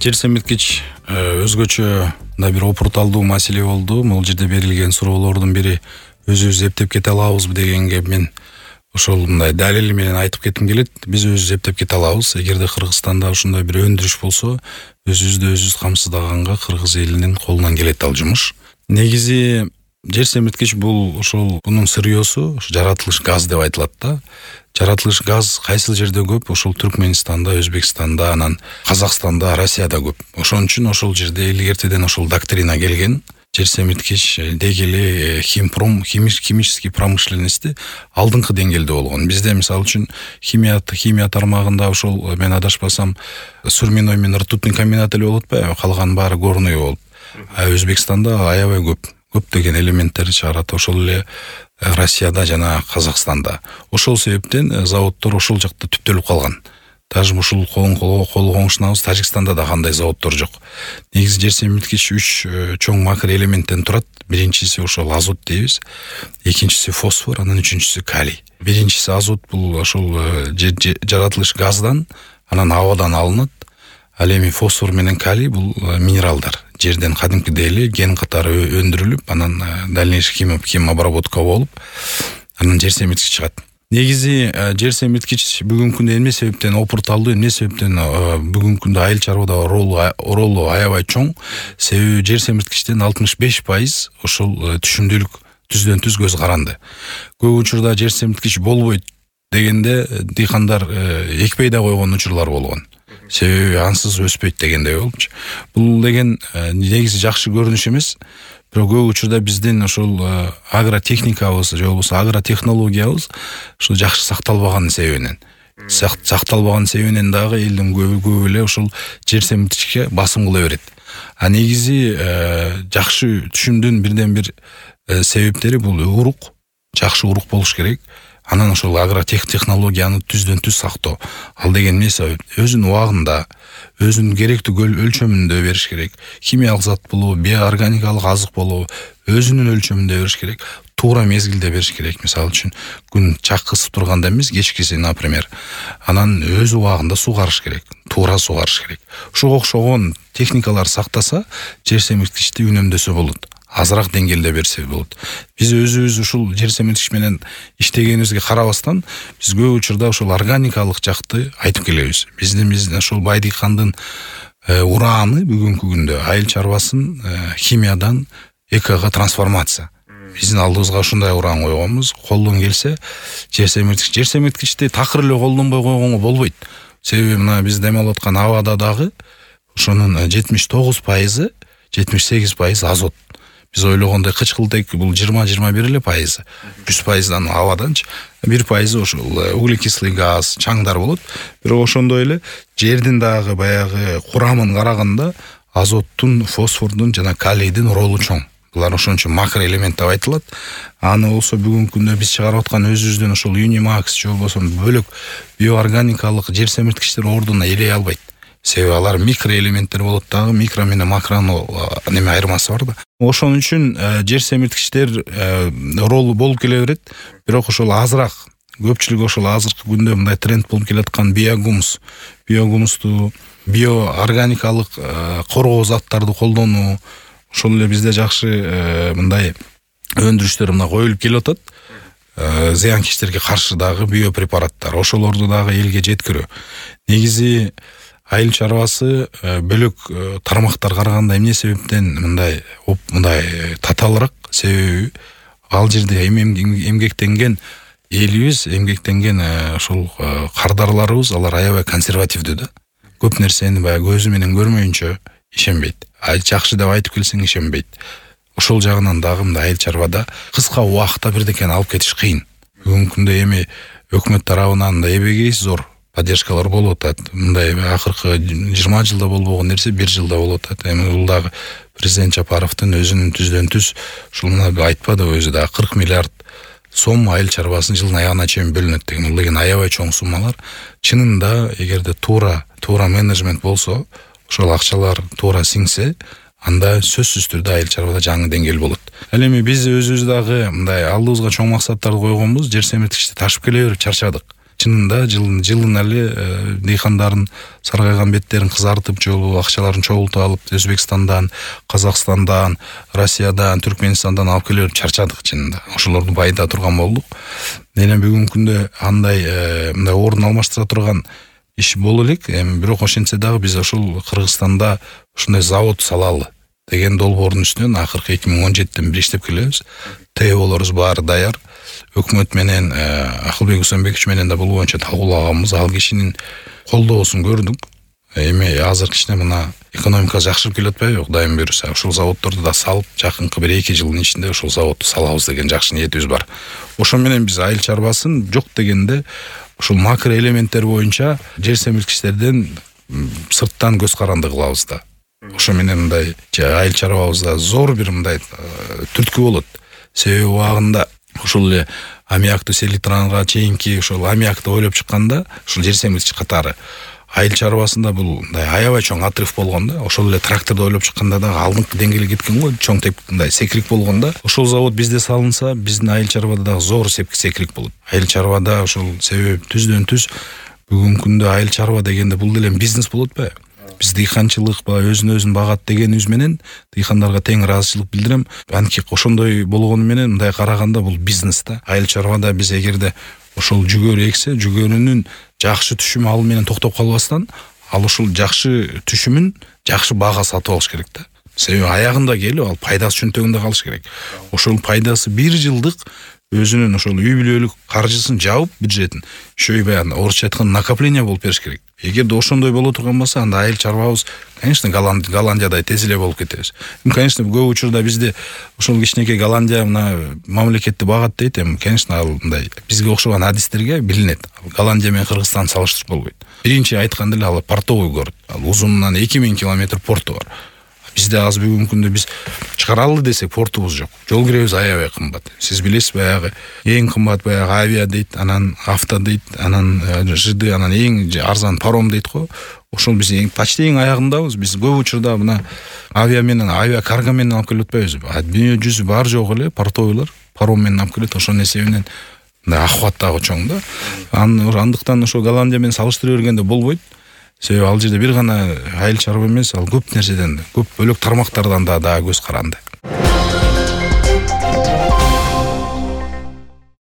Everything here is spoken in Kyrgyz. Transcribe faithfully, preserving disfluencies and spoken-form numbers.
Жер семирткич өзгөчө мындай бир опурталдуу маселе болду. Бул жерде берилген суроолордун бири өзүбүз эптеп кете алабызбы дегенге мен ошол мындай далили менен айтып кетким келет. Биз өзүбүз эптеп кете алабыз. Эгерде Кыргызстанда ушундай бир өндүрүш болсо, өзүбүздү өзүбүз камсыздаганга кыргыз элинин колунан келет ал жумуш. Негизи жер семирткич бул ошол бунун сырьёсу жаратылыш газ деп айтылат да. Жаратылыш газ кайсыл жерде көп? Ошол Түркмөнстанда, Өзбекстанда, анан Казакстанда, Россияда көп. Ошон үчүн ошол жерде илгертеден ошол доктрина келген. Жер семирткич деги эле химпром, химический промышленности алдыңкы деңгээлде болгон. Бизде мисалы үчүн химия химия тармагында ошол мен адашпасам сурминой менен ртутный комбинат эле болот атпайбы? Калган баары горный болуп. А Өзбекстанда аябай көп. Көптөгөн элементтерди чыгарат. Ошол эле Россияда жана Казакстанда. Ошол себептен заводдор ошол жакта түптөлүп калган. Даже ушул кол коңшунабыз Тажикстанда да кандай заводдор жок. Негизи жер семирткич үч чоң макро элементтен турат. Биринчиси ошол азот дейбиз, экинчиси фосфор, анан үчүнчүсү калий. Биринчиси азот бул ошол жаратылыш газдан, анан абадан алынат. Ал эми фосфор менен калий бул минералдар. Жерден кадимкидей эле ген катары өндүрүлүп, анан дальнейший хим обработка болуп, анан жер семирткич чыгат. Негизи жер семирткич бүгүнкү күндө эмне себептен опурталдуу, эмне себептен бүгүнкү күндө айыл чарбада ролу аябай чоң? Себеби жер семирткичтен алтымыш беш пайыз ошол түшүмдүүлүк түздөн түз көз каранды. Көп учурда жер семирткич болбойт дегенде дыйкандар экпей да койгон учурлар болгон. Себеби ансыз өспөйт дегендей болчу. Бул деген негизи жакшы көрүнүш эмес. Бирок көп учурда биздин ошол агротехникабыз же болбосо агротехнологиябыз ошол жакшы сакталбаган себебинен. Сакталбаган себебинен дагы элдин көбү эле ошол жер семирткичке басым кыла берет. А негизи жакшы түшүмдүн бирден бир себептери бул урук, жакшы урук болуш керек. Анан ошол агротехнологияны түздөн түз сактоо. Ал деген эмне себеп? Өзүнүн убагында, өзүнүн керектүү өлчөмүндө бериш керек. Химиялык зат болобу, биоорганикалык азык болобу, өзүнүн өлчөмүндө бериш керек. Туура мезгилде бериш керек. Мисалы үчүн, күн чак кысып турганда эмес, кечкиси, например. Анан өз убагында сугарыш керек. Туура сугарыш керек. Ушуга окшогон техникалар сактаса, жер семирткичти үнөмдөсө болот. Азыраак деңгээлде берсе болот. Биз өзүбүз ушул жер семирткич менен иштегенибизге карабастан, биз көп учурда ошол органикалык жакты айтып келебиз. Биздин биздин ошол бай дыйкандын урааны бүгүнкү күндө айыл чарбасын химиядан экого трансформация. Биздин алдыбызга ушундай ураан койгонбуз. Колдон келсе, жер семирткич, жер семирткичти такыр эле колдонбой койгонго болбойт. Себеби мына биз дем алып аткан абада дагы ошонун жетимиш тогуз пайызы, жетимиш сегиз пайыз азот. Биз ойлогондой кычкылтек бул жыйырма жыйырма бир эле пайызы. жүз пайыздан абаданчы бир пайызы ошол углекислый газ, чаңдар болот. Бирок ошондой эле жердин дагы баягы курамын караганда азоттун, фосфордун жана калийдин ролу чоң. Булар ошон үчүн макро элемент деп айтылат. Аны болсо бүгүнкү күндө биз чыгарып аткан өзүбүздүн ошол Unimax же болбосо бөлөк биоорганикалык жер семирткичтер ордуна элей албайт. Себеби алар микроэлементтер болот дагы, микро менен макронун неме айырмасы бар да. Ошон үчүн жер семирткичтер ролу болуп келе берет, бирок ошол азыраак, көпчүлүк ошол азыркы күндө мындай тренд болуп келаткан биогумус, биогумусту, биоорганикалык коргоо заттарды колдонуу, ошол эле бизде жакшы мындай өндүрүштөр мына коюлуп келип атат. Зыянкечтерге каршы дагы биопрепараттар, ошолорду дагы элге жеткирүү. Негизи айыл чарбасы бөлөк тармактар караганда эмне себептен мындай мындай татаалыраак? Себеби ал жерде эмгектенген элибиз, эмгектенген ошол кардарларыбыз, алар аябай консервативдүү да. Көп нерсени баягы көзү менен көрмөйүнчө ишенбейт. Ай жакшы деп айтып келсең ишенбейт. Ошол жагынан дагы мындай айыл чарбада кыска убакытта бирдекени алып кетиш кыйын. Бүгүнкү күндө эми өкмөт тарабынан да эбегей зор поддержкалар болуп атат. Мындай акыркы жыйырма жылда болбогон нерсе бир жылда болуп атат. Эми бул дагы президент Жапаровдун өзүнүн түздөн түз ушул мына айтпады өзү да кырк миллиард сом айыл чарбасын жылдын аягына чейин бөлүнөт деген. Бул деген аябай чоң суммалар. Чынында эгерде туура туура менеджмент болсо, ошол акчалар туура сиңсе, анда сөзсүз түрдө айыл чарбада жаңы деңгээл болот. Ал эми биз өзүбүз дагы мындай алдыбызга чоң максаттарды койгонбуз, жер семирткичти ташып келе берип чарчадык. чынында жылын жылын эле дыйкандардын саргайган беттерин кызартып жолу акчаларын чогултуп алып Өзбекстандан, Казакстандан, Россиядан, Түркменистандан алып келип чарчадык чынында. Ошолорду байыта турган болдук. Эми бүгүнкү күндө андай мындай орун алмаштыра турган иш боло элек, эми бирок ошентсе дагы биз ошол Кыргызстанда ушундай завод салалы деген долбоордун үстүнөн акыркы эки миң он жетиден бери иштеп келебиз. ТЭОлорубуз баары даяр. Өкмөт менен Акылбек Усенбекович менен да бул боюнча талкуулаганбыз. Ал кишинин колдоосун көрдүк. Эми азыр кичине мына экономика жакшырып келип атпайбы? Кудайым буйруса, ошол заводдорду да салып, жакынкы бир эки жылдын ичинде ошол заводду салабыз деген жакшы ниетибиз бар. Ошо менен биз айыл чарбасын жок дегенде ушул макро элементтер боюнча жер семирткичтерден сырттан көз каранды кылабыз да. Ошо менен мындай айыл чарбабызда зор бир мындай түрткү болот. Себеби убагында ушул эле аммиактуу селитранга чейинки ошол аммиакты ойлоп чыкканда ушул жер семирткич катары айыл чарбасында бул мындай аябай чоң отрыв болгон да. Ошол эле тракторду ойлоп чыкканда дагы алдыңкы деңгээлге кеткен го, чоң теп мындай секирик болгон да. Ошол завод бизде салынса, биздин айыл чарбада дагы зор секирик болот. Айыл чарбада ошол себеп түздөн түз бүгүнкү күндө айыл чарба дегенде бул деле бизнес болот атпайбы? Биз дыйканчылык ба өзүн өзүн багат дегенибиз менен дыйкандарга тең ыраазычылык билдирем. Анткени ошондой болгону менен мындай караганда бул бизнес да. Айыл чарбада биз эгерде ошол жүгөрү эксе, жүгөрүнүн жакшы түшүмү ал менен токтоп калбастан, ал ошол жакшы түшүмүн жакшы баага сатып алыш керек да. Себеби аягында келип ал пайдасы чөнтөгүндө калыш керек. Ошол пайдасы бир жылдык өзүнүн ошол үй бүлөлүк каржысын жабып бюджетин ошой баягы орусча айтканда накопление болуп бериш керек. Эгерде ошондой боло турган болсо, анда айыл чарбабыз, конечно, Голландиядай тез эле болуп кетебиз. Эми, конечно, көп учурда бизде ошол кичинекей Голландия мына мамлекетти багат дейт. Эми, конечно, ал мындай бизге окшогон адистерге билинет. Голландия менен Кыргызстанды салыштырып болбойт. Биринчи айтканда эле ал портовый город. Ал узунунан эки миң километр порту бар. Бизде азыр бүгүнкү күндө биз чыгаралы десек портубуз жок. Жол киребиз аябай кымбат. Сиз билесиз, баягы эң кымбат баягы авиа дейт, анан авто дейт, анан жыды, анан эң арзан паром дейт го. Ошол биз эң почти эң аягындабыз. Биз көп учурда мына авиа менен, авиа карго менен алып келип атпайбыз. Дүйнө жүзү бар жок эле портовыйлар паром менен алып келет. Ошонун эсебинен мындай ахват дагы чоң да. Андыктан ошо Голландия менен салыштыра бергенде болбойт. Себеби ал жерде бир гана айыл чарба эмес, ал көп нерседен, көп бөлөк тармактардан да дагы көз каранды.